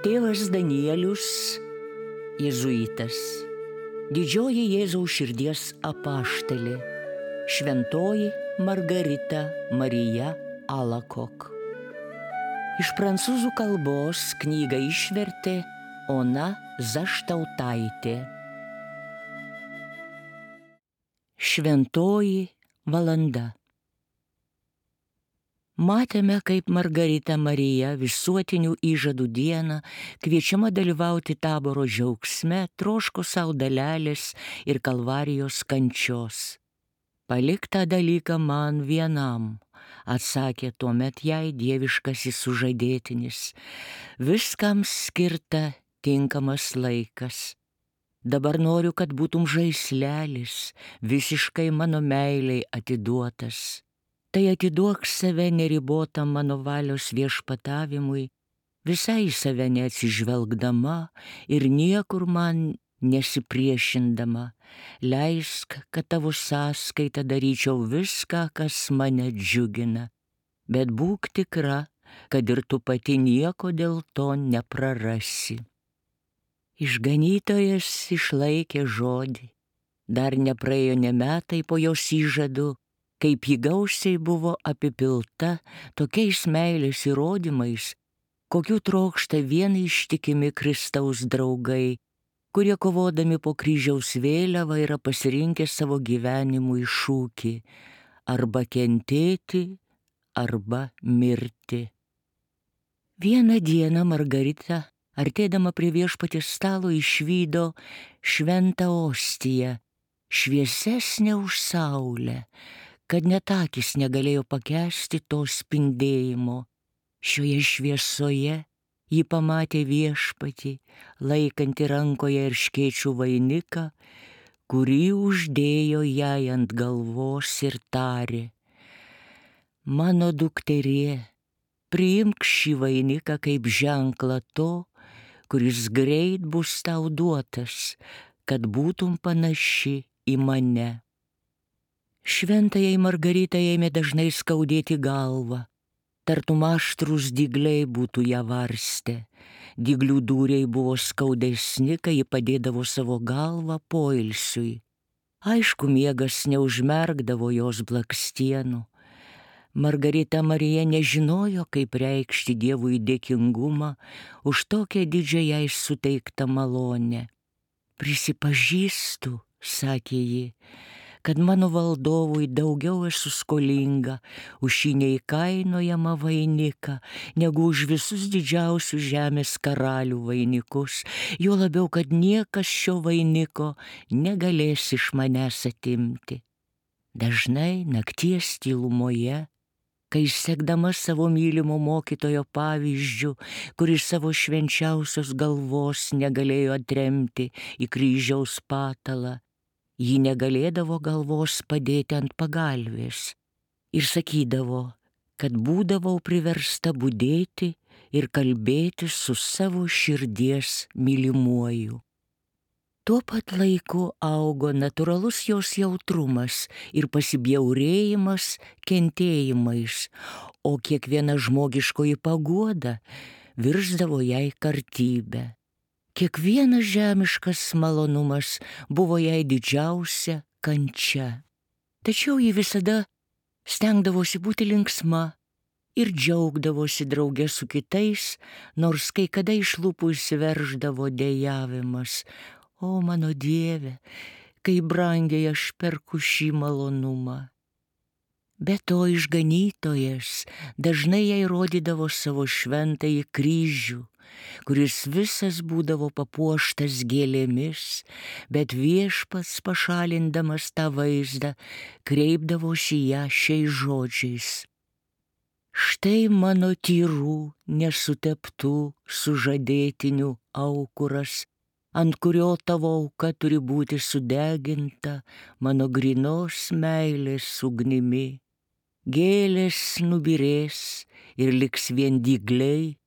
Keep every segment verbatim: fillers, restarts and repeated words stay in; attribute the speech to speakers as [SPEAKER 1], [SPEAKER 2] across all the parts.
[SPEAKER 1] Tėvas Danielius, jėzuitas, didžioji Jėzaus širdies apaštalė, šventoji Margarita Marija Alakok. Iš prancūzų kalbos knygą išvertė Ona Zaštautaitė. Šventoji valanda. Matėme, kaip Margarita Marija visuotinių įžadų dieną kviečiama dalyvauti taboro džiaugsme, troško savo dalelės ir kalvarijos kančios. Palik tą dalyką man vienam, atsakė tuomet jai dieviškasis sužadėtinis. Viskam skirta tinkamas laikas. Dabar noriu, kad būtum žaislelis, visiškai mano meiliai atiduotas. Tai atiduok save neribotam mano valios viešpatavimui, visai į save neatsižvelgdama ir niekur man nesipriešindama. Leisk, kad tavo sąskaita daryčiau viską, kas mane džiugina, bet būk tikra, kad ir tu pati nieko dėl to neprarasi. Išganytojas išlaikė žodį. Dar nepraėjo ne metai po jos įžadų, kaip ji gausiai buvo apipilta tokiais meilės įrodymais, kokių trokšta vien ištikimi Kristaus draugai, kurie kovodami po kryžiaus vėliavą yra pasirinkę savo gyvenimui šūkį arba kentėti, arba mirti. Vieną dieną Margarita, artėdama prie viešpaties stalo, išvydo šventą ostiją, šviesesnę už saulę, kad net akys negalėjo pakęsti to spindėjimo. Šioje šviesoje ji pamatė viešpatį, laikantį rankoje erškėčių vainiką, kurį uždėjo jai ant galvos ir tarė: mano dukterie, priimk šį vainiką kaip ženklą to, kuris greit bus tau duotas, kad būtum panaši į mane. Šventajai Margaritai ėmė dažnai skaudėti galvą, tartum aštrūs dygliai būtų ją varstę. Dyglių dūriai buvo skaudesni, kai ji padėdavo savo galvą poilsiui. Aišku, miegas neužmerkdavo jos blakstienų. Margarita Marija nežinojo, kaip reikšti Dievui dėkingumą už tokią didžią jai suteiktą malonę. Prisipažįstu, sakė ji, kad mano valdovui daugiau esu skolinga už šį neįkainojamą vainiką, negu už visus didžiausius žemės karalių vainikus, juo labiau, kad niekas šio vainiko negalės iš manęs atimti. Dažnai nakties tylumoje, kai sekdama savo mylimo mokytojo pavyzdžiu, kuris savo švenčiausios galvos negalėjo atremti į kryžiaus patalą, ji negalėdavo galvos padėti ant pagalvės ir sakydavo, kad būdavau priversta budėti ir kalbėti su savo širdies mylimuoju. Tuo pat laiku augo natūralus jos jautrumas ir pasibjaurėjimas kentėjimais, o kiekviena žmogiškoji paguoda virsdavo jai kartybę. Kiekvienas žemiškas malonumas buvo jai didžiausia kančia. Tačiau ji visada stengdavosi būti linksma ir džiaugdavosi drauge su kitais, nors kai kada iš lūpų išsiverždavo dejavimas: o mano Dieve, kaip brangiai aš perku šį malonumą. Be to išganytojas dažnai jai rodydavo savo šventąjį kryžių, kuris visas būdavo papuoštas gėlėmis, bet viešpats, pašalindamas tą vaizdą, kreipdavosi ją šiais žodžiais: štai mano tyrų, nesuteptų sužadėtinių aukuras, ant kurio tavo auka turi būti sudeginta mano grynos meilės ugnimi. Gėlės nubyrės ir liks vien dygliai,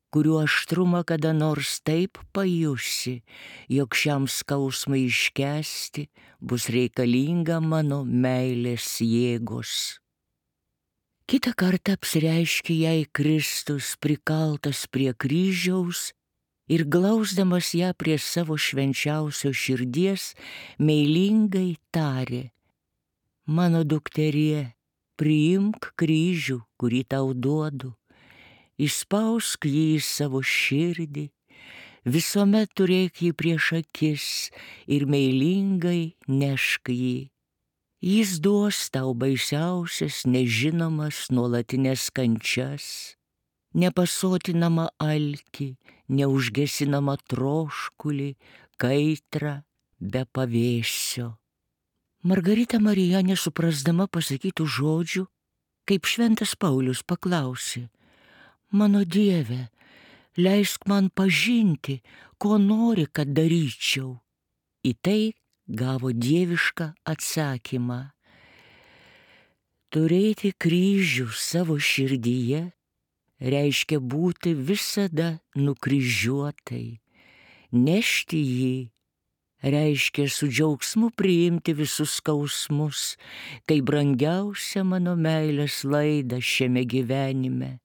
[SPEAKER 1] kurių aštrumą kada nors taip pajusi, jog šiam skausmui iškęsti bus reikalinga mano meilės jėgos. Kitą kartą apsireiškė jai Kristus prikaltas prie kryžiaus ir glausdamas ją prie savo švenčiausio širdies, meilingai tarė: mano dukterie, priimk kryžių, kurį tau duodu, įspausk jį į savo širdį, visuomet turėk jį prieš akis ir meilingai nešk jį. Jis duos tau baisiausias, nežinomas, nuolatinės kančias, nepasotinamą alkį, neužgesinamą troškulį, kaitrą be pavėsio. Margarita Marija, nesuprasdama pasakytų žodžių, kaip šventas Paulius paklausė: mano Dieve, leisk man pažinti, ko nori, kad daryčiau. Į tai gavo dievišką atsakymą: turėti kryžių savo širdyje reiškia būti visada nukryžiuotai. Nešti jį reiškia su džiaugsmu priimti visus skausmus, tai brangiausia mano meilės laida šiame gyvenime.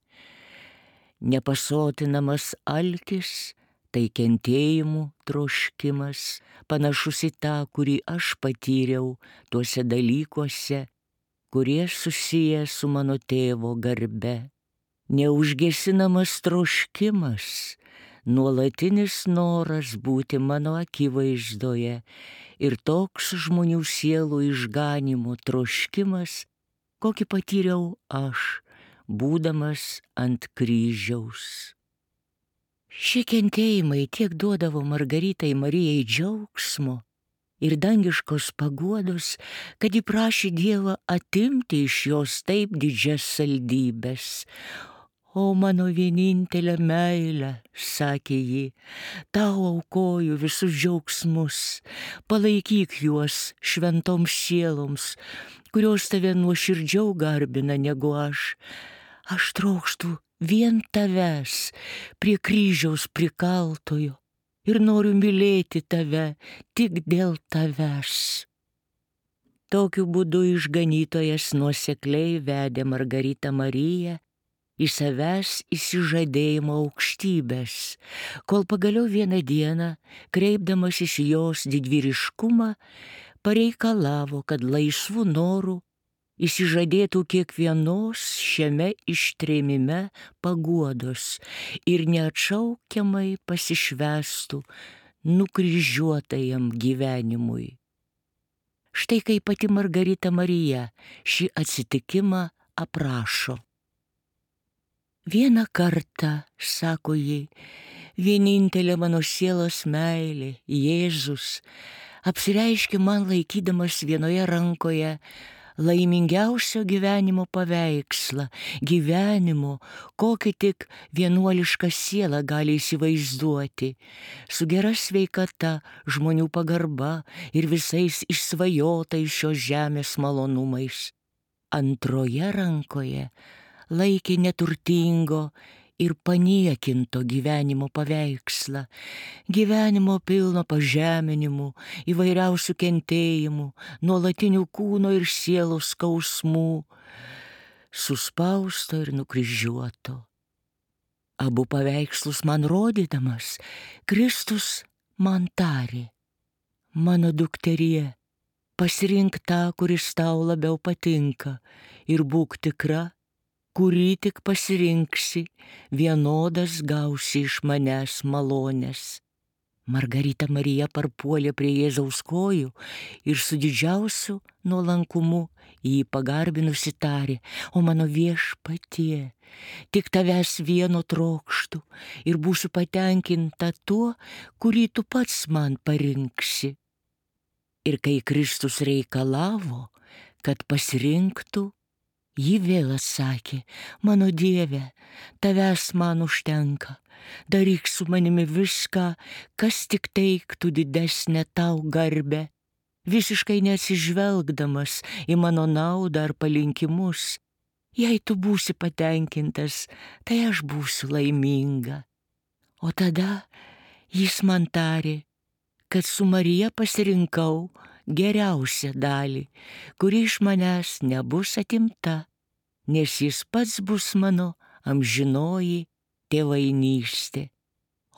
[SPEAKER 1] Nepasotinamas alkis tai kentėjimų troškimas, panašus į tą, kurį aš patyriau tuose dalykuose, kurie susiję su mano tėvo garbe. Neužgesinamas troškimas, nuolatinis noras būti mano akivaizdoje ir toks žmonių sielų išganymo troškimas, kokį patyriau aš, būdamas ant kryžiaus. Šie kentėjimai tiek duodavo Margaritai Marijai džiaugsmo ir dangiškos paguodos, kad ji prašė Dievą atimti iš jos taip didžias saldybes. O mano vienintelė meilė, sakė ji, tau aukoju visus džiaugsmus, palaikyk juos šventoms sieloms, kurios tave nuoširdžiau garbina negu aš. Aš trokštu vien tavęs prie kryžiaus prikaltojo ir noriu mylėti tave tik dėl tavęs. Tokiu būdu išganytojas nuosekliai vedė Margaritą Mariją į savęs įsižadėjimo aukštybės, kol pagaliau vieną dieną, kreipdamasis į jos didvyriškumą, pareikalavo, kad laisvų norų įsižadėtų kiekvienos šiame ištrėmime paguodos ir neatšaukiamai pasišvęstų nukryžiuotajam gyvenimui. Štai kaip pati Margarita Marija šį atsitikimą aprašo. Vieną kartą, sako ji, vienintelė mano sielos meilė, Jėzus, apsireiškė man laikydamas vienoje rankoje laimingiausio gyvenimo paveikslą, gyvenimo, kokį tik vienuoliška siela gali įsivaizduoti, su gera sveikata, žmonių pagarba ir visais išsvajotais šios žemės malonumais. Antroje rankoje laikė neturtingo ir paniekinto gyvenimo paveikslą, gyvenimo pilno pažeminimų, įvairiausių kentėjimų, nuolatinių kūno ir sielos skausmų, suspausto ir nukryžiuoto. Abu paveikslus man rodydamas, Kristus man tarė: mano dukterie, pasirink tą, kuris tau labiau patinka, ir būk tikra, kurį tik pasirinksi, vienodas gausi iš manęs malonės. Margarita Marija parpuolė prie Jėzaus kojų ir su didžiausiu nuolankumu jį pagarbinusi tarė: o mano Viešpatie, tik tavęs vieno trokštu ir būsiu patenkinta tuo, kurį tu pats man parinksi. Ir kai Kristus reikalavo, kad pasirinktų, ji vėl atsakė: mano Dieve, tavęs man užtenka, daryk su manimi viską, kas tik teiktų didesnę tau garbę, visiškai neatsižvelgdamas į mano naudą ar palinkimus. Jei tu būsi patenkintas, tai aš būsiu laiminga. O tada jis man tarė, kad su Marija pasirinkau geriausią dalį, kuri iš manęs nebus atimta, nes jis pats bus mano amžinoji tėvainystė.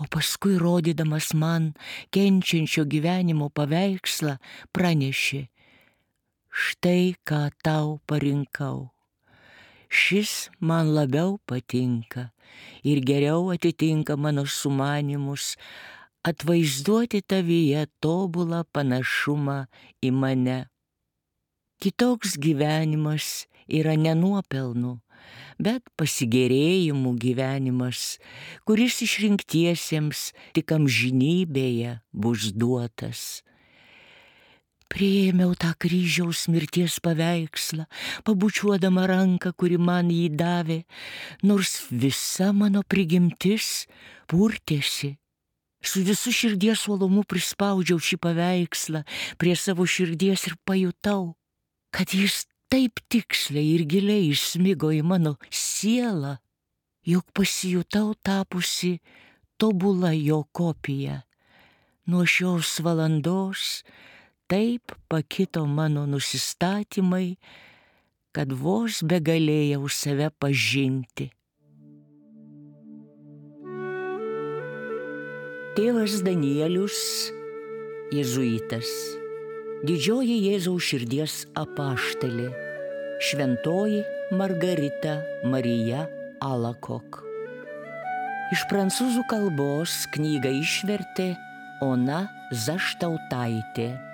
[SPEAKER 1] o paskui rodydamas man kenčiančio gyvenimo paveikslą pranešė: štai ką tau parinkau. Šis man labiau patinka ir geriau atitinka mano sumanymus atvaizduoti tavyje tobulą panašumą į mane. Kitoks gyvenimas yra ne nuopelnų, bet pasigėrėjimų gyvenimas, kuris išrinktiesiems tik amžinybėje bus duotas. Priėmiau tą kryžiaus mirties paveikslą, pabučiuodama ranką, kuri man jį davė, nors visa mano prigimtis purtėsi. Su visu širdies uolumu prispaudžiau šį paveikslą prie savo širdies ir pajutau, kad jis taip tiksliai ir giliai įsmigo į mano sielą, jog pasijutau tapusi tobula jo kopija. Nuo šios valandos taip pakito mano nusistatymai, kad vos begalėjau save pažinti. Tėvas Danielius, jėzuitas, didžioji Jėzaus širdies apaštalė, šventoji Margarita Marija Alacoque. Iš prancūzų kalbos knygą išvertė Ona Zaštautaitė.